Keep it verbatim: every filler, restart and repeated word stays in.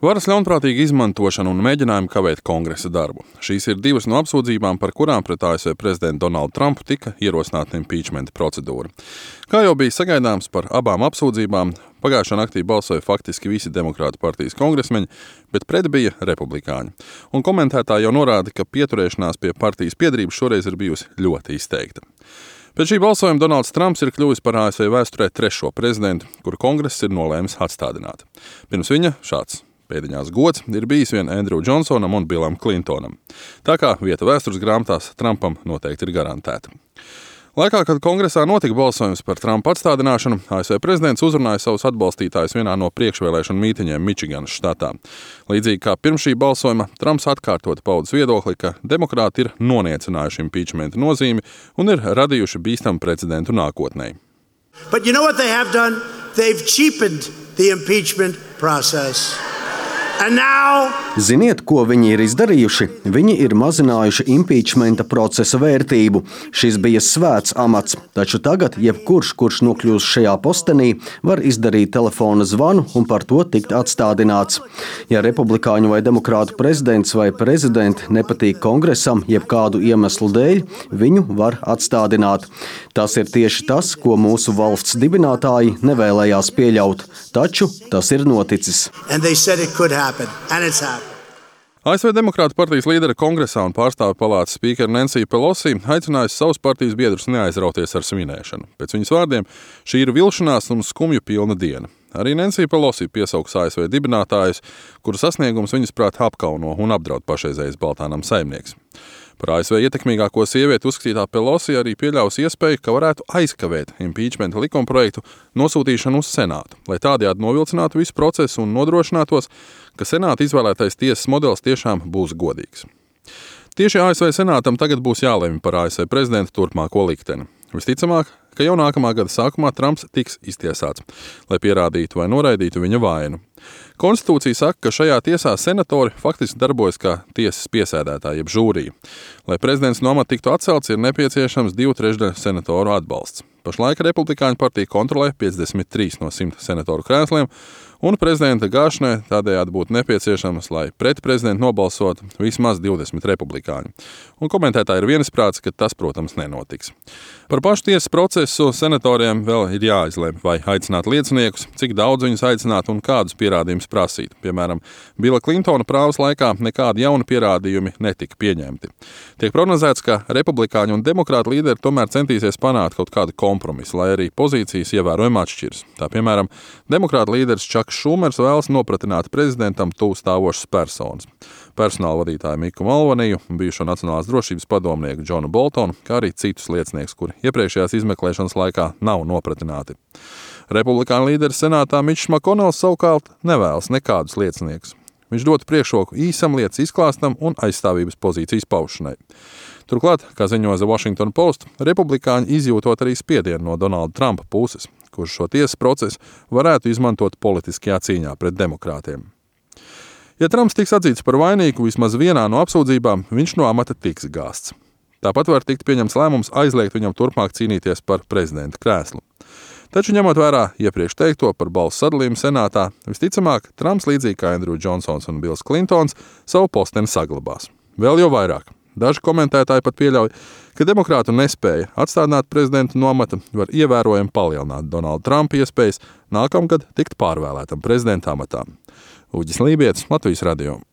Varas ļaunprātīga izmantošana un mēģinājumi kavēt kongresa darbu. Šīs ir divas no apsūdzībām, par kurām pret A S V prezidentu Donaldu Trumpu tika ierosināta impeachmenta procedūra. Kā jau bija sagaidāms, par abām apsūdzībām pagājušā naktī balsoja faktiski visi Demokrātu partijas kongresmeņi, bet pret bija republikāņi. Un komentētāji jau norāda, ka pieturēšanās pie partijas piederības šoreiz ir bijusi ļoti izteikta. Pēc šī balsojuma Donalds Trumps ir kļuvis par A S V vēsturē trešo prezidentu, kuru kongress ir nolēmis atstādināt. Pirms viņa šāds pēdiņās gods ir bijis vien Andrew Johnsonam un Billam Clintonam. Tā kā vieta vēstures grāmatās Trumpam noteikti ir garantēta. Laikā, kad kongresā notika balsojums par Trumpa atstādināšanu, A S V prezidents uzrunāja savus atbalstītājus vienā no priekšvēlēšanu mītiņiem Mičiganas štatā. Līdzīgi kā pirms šī balsojuma, Trumps atkārtot paudis viedokli, ka demokrāti ir noniecinājuši impeachmenta nozīmi un ir radījuši bīstamu precedentu nākotnē. But you know what they have done? They've cheapened the impeachment process. And now... Ziniet, ko viņi ir izdarījuši? Viņi ir mazinājuši impeachmenta procesa vērtību. Šis bija svēts amats, taču tagad jebkurš, kurš nokļūs šajā postenī, var izdarīt telefona zvanu un par to tikt atstādināts. Ja republikāņu vai demokrātu prezidents vai prezidenti nepatīk kongresam jebkādu iemeslu dēļ, viņu var atstādināt. Tas ir tieši tas, ko mūsu valsts dibinātāji nevēlējās pieļaut, taču tas ir noticis. A S V Demokrātu partijas līdere kongresā un pārstāvju palātas spīkere Nancy Pelosi aicinājusi savus partijas biedrus neaizrauties ar svinēšanu. Pēc viņas vārdiem, šī ir vilšanās un skumju pilna diena. Arī Nancy Pelosi piesauks A S V dibinātājus, kuru sasniegums viņas prāt apkauno un apdraud pašreizējais Baltānam saimnieks. Par A S V ietekmīgāko sievieti uzskatītā Pelosi arī pieļaus iespēju, ka varētu aizkavēt impeachmenta likumprojektu nosūtīšanu uz Senātu, lai tādējādi novilcinātu visu procesu un nodrošinātos, ka Senāta izvēlētais tiesas modelis tiešām būs godīgs. Tieši A S V Senātam tagad būs jālemj par A S V prezidenta turpmāko likteni. Visticamāk, ka jau nākamā gada sākumā Trumps tiks iztiesāts, lai pierādītu vai noraidītu viņa vainu. Konstitūcija saka, ka šajā tiesā senatori faktiski darbojas kā tiesas piesēdētāji, jeb žūrija. Lai prezidents no amata tiktu atcelts, ir nepieciešams divu trešdaļu senatoru atbalsts. Pašlaik republikāņu partija kontrolē piecdesmit trīs no simta senatoru krēsliem, un prezidenta gāšanai tādējādi būtu nepieciešams, lai pret prezidentu nobalsotu vismaz divdesmit republikāņu. Un komentētāji ir vienisprāts, ka tas, protams, nenotiks. Par pašu tiesas procesu senatoriem vēl ir jāizlemj, vai aicināt lieciniekus, cik daudz viņus aicināt un kādus pierādījumus prasīt. Piemēram, Billa Clintona prāvas laikā nekādi jauni pierādījumi netika pieņemti. Tiek prognozēts, ka republikāņu un demokrātu līderi tomēr centīsies panākt kaut kādu kompromisu, lai arī pozīcijas ievērojami atšķiras. Tā, piemēram, demokrātu līderis Čaks Šumers vēlas nopratināt prezidentam tuvu stāvošas personas. Personāla vadītāju Miku Malvaniju, bijušo nacionālās drošības padomnieku Džonu Boltonu, kā arī citus liecinieks, kuri iepriekšējās izmeklēšanas laikā nav nopratināti. Republikāņu līderis senātā Mičs Makonels savukārt nevēlas nekādus lieciniekus. Viņš dotu priekšroku īsam lietas izklāstam un aizstāvības pozīcijas paušanai. Turklāt, kā ziņo The Washington Post, republikāņi izjūtot arī spiedienu no Donalda Trumpa puses, kurš šo tiesas procesu varētu izmantot politiskajā cīņā pret demokrātiem. Ja Trumps tiks atzīts par vainīgu vismaz vienā no apsūdzībām, viņš no amata tiks gāsts. Tāpat var tikt pieņemts lēmums aizliegt viņam turpmāk cīnīties par prezidenta krēslu. Taču ņemot vērā iepriekš teikto par balsu sadalījumu senātā, visticamāk, Trumps līdzīgi kā Andrew Johnsons un Bills Clintons savu posteni saglabās. Vēl jau vairāk. Daži komentētāji pat pieļauj, ka demokrātu nespēja atstādināt prezidentu no amata var ievērojami palielināt Donalda Trumpa iespējas nākamgad tikt pārvēlētam prezidenta amatā. Uģis Lībietis, Latvijas radio.